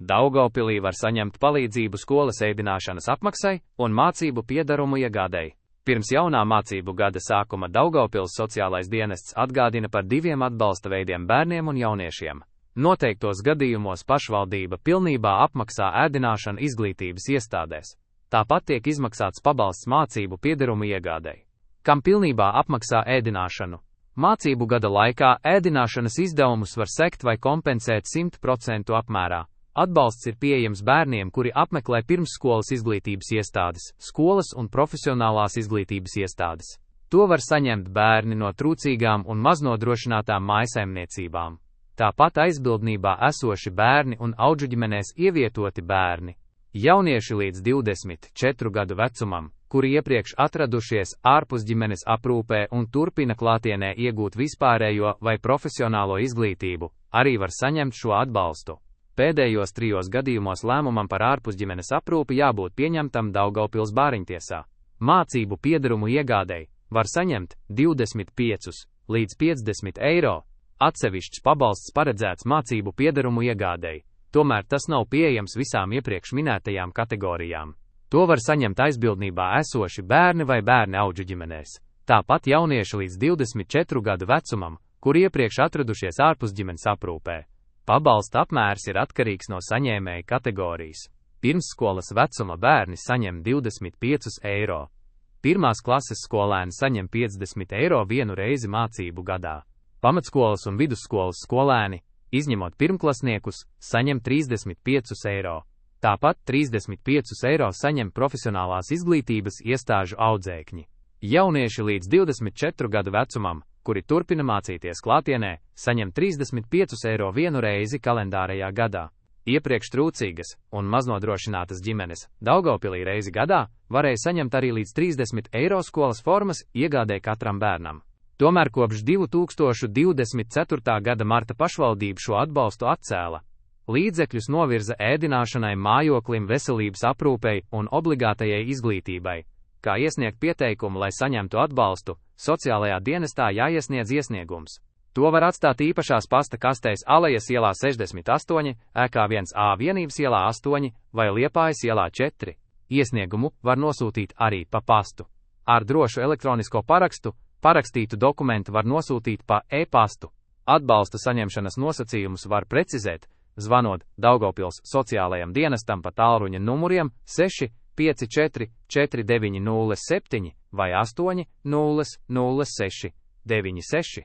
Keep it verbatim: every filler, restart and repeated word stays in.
Daugavpilī var saņemt palīdzību skolas ēdināšanas apmaksai un mācību piedarumu iegādei. Pirms jaunā mācību gada sākuma Daugavpils sociālais dienests atgādina par diviem atbalsta veidiem bērniem un jauniešiem. Noteiktos gadījumos pašvaldība pilnībā apmaksā ēdināšanu izglītības iestādēs. Tāpat tiek izmaksāts pabalsts mācību piedarumu iegādei. Kam pilnībā apmaksā ēdināšanu? Mācību gada laikā ēdināšanas izdevumus var sekt vai kompensēt simt procentu apmērā. Atbalsts ir pieejams bērniem, kuri apmeklē pirmsskolas izglītības iestādes, skolas un profesionālās izglītības iestādes. To var saņemt bērni no trūcīgām un maznodrošinātām mājsaimniecībām. Tāpat aizbildnībā esoši bērni un audžuģimenēs ievietoti bērni. Jaunieši līdz divdesmit četru gadu vecumam, kuri iepriekš atradušies ārpus ģimenes aprūpē un turpina klātienē iegūt vispārējo vai profesionālo izglītību, arī var saņemt šo atbalstu. Pēdējos trijos gadījumos lēmumam par ārpusģimenes aprūpi jābūt pieņemtam Daugavpils bāriņtiesā. Mācību piedarumu iegādei var saņemt divdesmit piecus līdz piecdesmit eiro. Atsevišķs pabalsts paredzēts mācību piedarumu iegādei, tomēr tas nav pieejams visām iepriekš minētajām kategorijām. To var saņemt aizbildnībā esoši bērni vai bērni audžu ģimenēs. Tāpat jaunieši līdz divdesmit četru gadu vecumam, kuri iepriekš atradušies ārpusģimenes aprūpē. Pabalsta apmērs ir atkarīgs no saņēmēja kategorijas. Pirmsskolas vecuma bērni saņem divdesmit piecus eiro. Pirmās klases skolēni saņem piecdesmit eiro vienu reizi mācību gadā. Pamatskolas un vidusskolas skolēni, izņemot pirmklasniekus, saņem trīsdesmit piecus eiro. Tāpat trīsdesmit piecus eiro saņem profesionālās izglītības iestāžu audzēkņi. Jaunieši līdz divdesmit četru gadu vecumam, kuri turpina mācīties klātienē, saņem trīsdesmit piecus eiro vienu reizi kalendārajā gadā. Iepriekš trūcīgas un maznodrošinātas ģimenes Daugavpilī reizi gadā varēja saņemt arī līdz trīsdesmit eiro skolas formas iegādē katram bērnam. Tomēr kopš divi tūkstoši divdesmit ceturtā gada marta pašvaldība šo atbalstu atcēla. Līdzekļus novirza ēdināšanai, mājoklim, veselības aprūpei un obligātajai izglītībai. Kā iesniegt pieteikumu, lai saņemtu atbalstu, sociālajā dienestā jāiesniedz iesniegums. To var atstāt īpašās pasta kastēs Alejas ielā sešdesmit astoņi, E K viens A vienības ielā astoņi vai Liepājas ielā četri. Iesniegumu var nosūtīt arī pa pastu. Ar drošu elektronisko parakstu parakstītu dokumentu var nosūtīt pa e-pastu. Atbalsta saņemšanas nosacījumus var precizēt, zvanot Daugavpils sociālajam dienestam pa tālruņa numuriem seši pieci četri četri deviņi nulle septiņi vai astoņi nulle nulle seši deviņi seši.